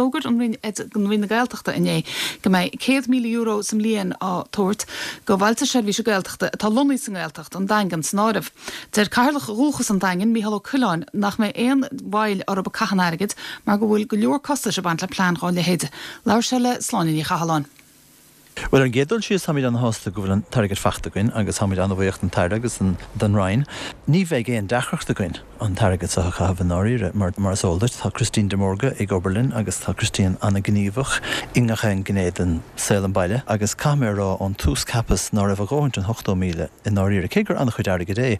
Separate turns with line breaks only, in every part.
D'fhógair an Roinn Roinn na Gaeltachta inné go mbeidh €100,000 sa mbliain á tabhairt go Bhailte Seirbhíse Gaeltachta atá lonnaithe sa nGaeltacht, an Daingean san áireamh. Deir Cathaoirleach Dhúchas an Daingin, Mícheál Ó Coileáin, nach mbeidh aon mhoill orthu ag caitheamh an airgid mar go bhfuil go leor costais ag baint le plean dhá leithéid. Labhair sé le Sláine Ní Chathalláin.
Bhuel, ar an gcéad dul síos, táimid ana-shásta go bhfuil an t-airgead faighte againn agus táimid ana-bhuíoch don tAire agus don Roinn. Ní bheidh aon deacracht againn an t-airgead seo a chaitheamh i ndáiríre mar, mar is eol duit, tá Christine de Mórdha ag obair linn agus tá Christine ana-ghníomhach i ngach aon ghné den saol an baile agus caithfidh mé a rá ón tús cheapas ná raibh a dhóthaint an 80,000 i ndáiríre, cé gur an-chuid airgid é.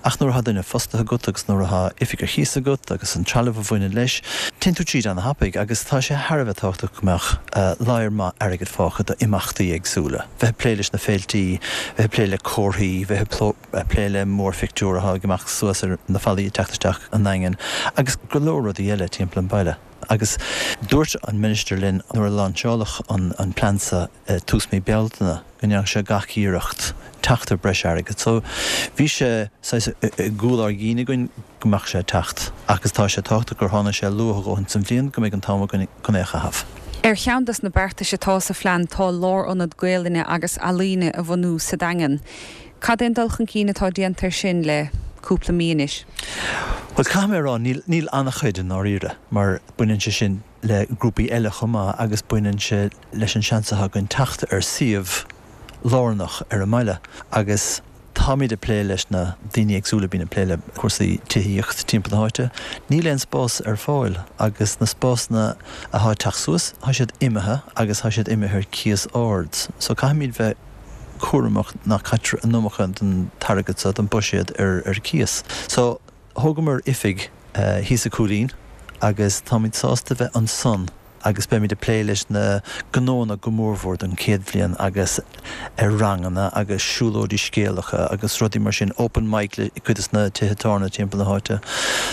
Ach nuair atá duine fostaithe agat agus nuair atá oifig ar chíos agat agus an trealamh a bhaineann leis, téann tú tríd ana-thapaidh agus tá sé thar a bheith tábhachtach go mbeadh ladhar maith airgid fágtha d'imeachtaí éagsúla, bheith ag plé leis na féiltí, bheith ag plé le comharthaí, bheith ag plé le mórphictiúr atá ag imeacht suas ar na fallaí ag teacht isteach an nDaingean agus go leor rudaí eile timpeall an bhaile. Agus dúirt an Minister linn nuair a lainseáladh an plean seo i tús mí Bealtaine go ndéanfadh sé gach iarracht teacht ar breis airgid. So bhí sé saghas i gcúl ár gcinn againn go mbeadh sé ag teacht agus tá sé tábhachtach gur tháinig sé luath a dhóthain sa bhliain go mbeidh an t-am againn chun é a chaitheamh.
Ar cheann des na beartais atá sa phlean tá lárionad Gaelainne agus ealaíne a bhunú sa Daingean. Cad é an dul chun cinn atá déanta ar sin le cúpla mí anois?
Bhuel, caithfidh mé a rá, níl, níl an-chuid i ndáiríre, mar baineann sé sin le grúpaí eile chomh maith agus baineann sé leis an seans atá againn teacht ar suíomh lárnach ar an mbaile agus táimid ag plé leis na daoine éagsúla a bhíonn ag plé le cúrsaí tithíocht timpeall na háite. Níl aon spás ar fáil agus na spásanna atá ag teacht suas, tá siad imithe agus tá siad imithe ar cíos ard. So caithfimid bheith cúramach nach caitear an iomarca den t-airgead seo, den buiséad ar cíos. So, thógamar oifig thíos i Cúilín agus táimid sásta bheith ansan agus beimid ag plé leis na gnóanna go mórmhór don chéad bhliain agus ar ranganna agus siúlóidí scéalacha agus rudaí mar sin, open mic le cuid de na tithe tábhairne timpeall na háite.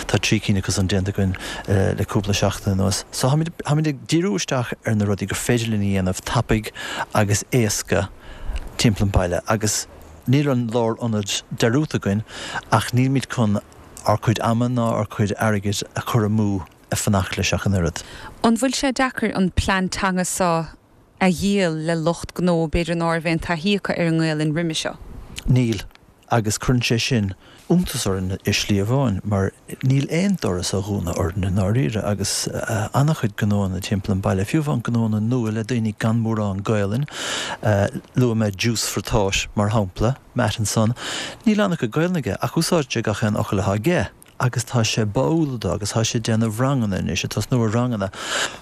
Tá 3 cinn acu san déanta againn le cúpla seachtain anuas. So táimid ag díriú isteach ar na rudaí gur féidir linn a dhéanamh tapaidh agus éasca timpeall an bhaile agus níl an lárionad dearúdta againn ach nílimid chun ár cuid ama ná ár cuid airgid a chur amú ag fanacht leis ach an oiread.
An bhfuil sé deacair an plean teanga seo a dhíol le lucht gnó b'fhéidir ná raibh aon taithí acu ar an nGaelainn roimhe seo?
Níl, agus cuireann sé sin iontas orainn i slí amháin mar níl aon doras á dhúnadh orainn i ndáiríre agus an-chuid gnóanna timpeall an baile, fiú amháin gnóanna nua le daoine gan mórán Gaelainn, luaigh mé Juice for Thought mar shampla, Matt ansan, níl an-chuid Gaelainn aige ach úsáideann sé gach aon fhocal atá aige agus tá sé báúil dó agus tá sé ag déanamh ranganna anois, ag tosnú ar ranganna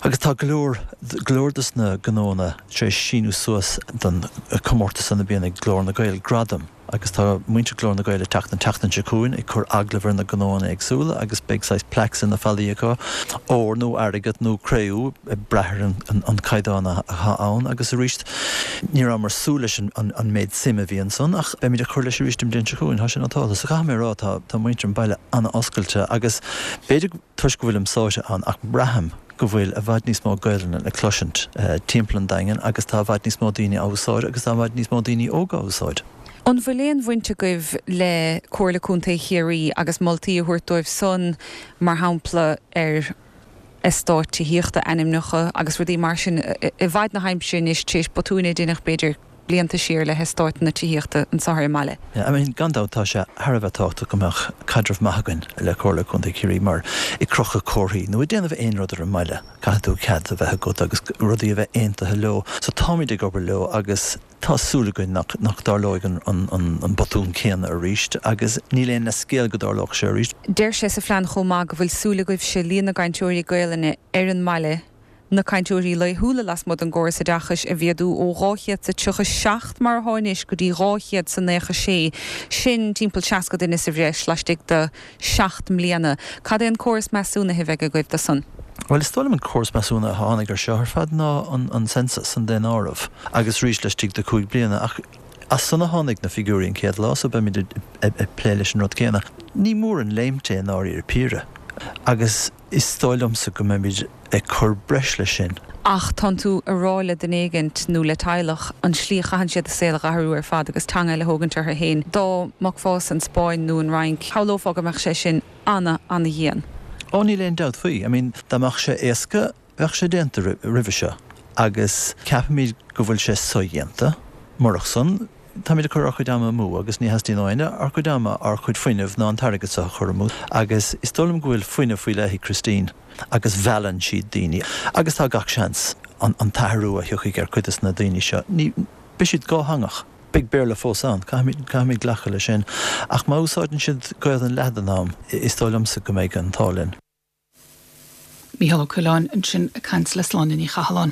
agus tá go leor, go leor dos na gnóanna tar éis síniú suas don chomórtas san a bíonn ag Glór na Gael, Gradam. Agus tá muintir Glór na Gael ag teacht an tseachtain seo chugainn ag cur agallamh ar na gnóanna éagsúla agus beidh saghas plaques ar na fallaí acu, ór nó airgead nó cré-umha, ag brath ar an caighdeán atá ann. Agus arís, ní rabhamar ag súil leis an méid suime a bhí ansan ach beimid ag cur leis arís an bhliain seo chugainn, tá sé nótálta. So caithfidh mé a rá, tá muintir an bhaile an-oscailte agus b'fhéidir toisc go bhfuilim sáite ann ach braithim go bhfuil i bhfad níos mó Gaelainne le cloisint timpeall an Daingin agus tá i bhfad níos mó daoine á úsáid agus tá i bhfad níos mó daoine óga á úsáid.
An bhfuil aon bhaint agaibh le Comhairle Contae Chiarraí agus moltaí a thabhairt dóibh san, mar shampla, ar eastáit tithíochta, ainmneacha agus rudaí mar sin i bhfad na haimsire anois tar éis botúin a deineadh b'fhéidir blianta siar le heastáiteanna tithíochta anseo ar an mbaile.
I mean, gan dabht tá sé thar a bheith tábhachtach go mbeadh caidreamh maith againn le Comhairle Contae Chiarraí mar ag crochadh comharthaí nó ag déanamh aon rud ar an mbaile, caithfidh tú cead a bheith agat agus rudaí a bheith aontaithe leo. So táimid ag obair leo agus tá súil againn nach, nach dtarlóidh an, an, an, an botún céanna arís agus níl aon leithscéal go dtarlódh sé arís.
Deir sé sa phlean chomh maith go bhfuil súil agaibhse líon na gcainteoirí Gaelainne ar an mbaile na cainteoirí laethúla lasmuigh den gcóras oideachais a mhéadú ó 237 mar atá anois go dtí 296, sin timpeall 60 duine sa bhreis laistigh de sheacht mbliana. Cad é an córas measúnaithe a bheidh agaibh do san?
Bhuel, is dóigh liom an córas measúnaithe a tháinig ar seo ar fad ná an census, an daonáireamh, agus arís laistigh de chúig bliana. Ach as san a tháinig na figiúirí an chéad lá so beimid ag plé leis an rud céanna. Ní mór an léimt é i ndáiríre píre agus. Is dóigh liomsa go mbeimid ag cur breis leis sin.
Ach tánn tú a rá le duine éigint nó le teaghlach an tslí a chaitheann siad a saol a dh'athrú ar fad agus teanga eile a thógaint orthu féin. Dá mbogfá san Spáinn nó an Fhrainc, shamhlófá go mbeadh sé sin ana, ana-dhian.
Ó níl aon dabht faoi. I mean, dá mbeadh sé éasca. Bheadh sé déanta roimhe seo agus ceapaimid go bhfuil sé sodhéanta. Murach san, táimid ag cur ár chuid ama amú agus ní theastaíonn ó éinne ár gcuid ama, ár gcuid fuinnimh ná an t-airgead seo a chur amú. Agus is dóigh liom go bhfuil fuinneamh faoi leith ag Christine agus meallann sí daoine agus tá gach seans an t-athrú a thiocfaidh ar chuid de na daoine seo, ní, beidh siad dhátheangach. Beidh Béarla fós ann, caithfimid, caithfimid glacadh leis sin. Ach má úsáideann siad Gaelainn leath den am, is dóigh liomsa go mbeidh an t-ádh linn.
Mícheál Ó Coileáin ansin ag caint le Sláine Ní Chathalláin.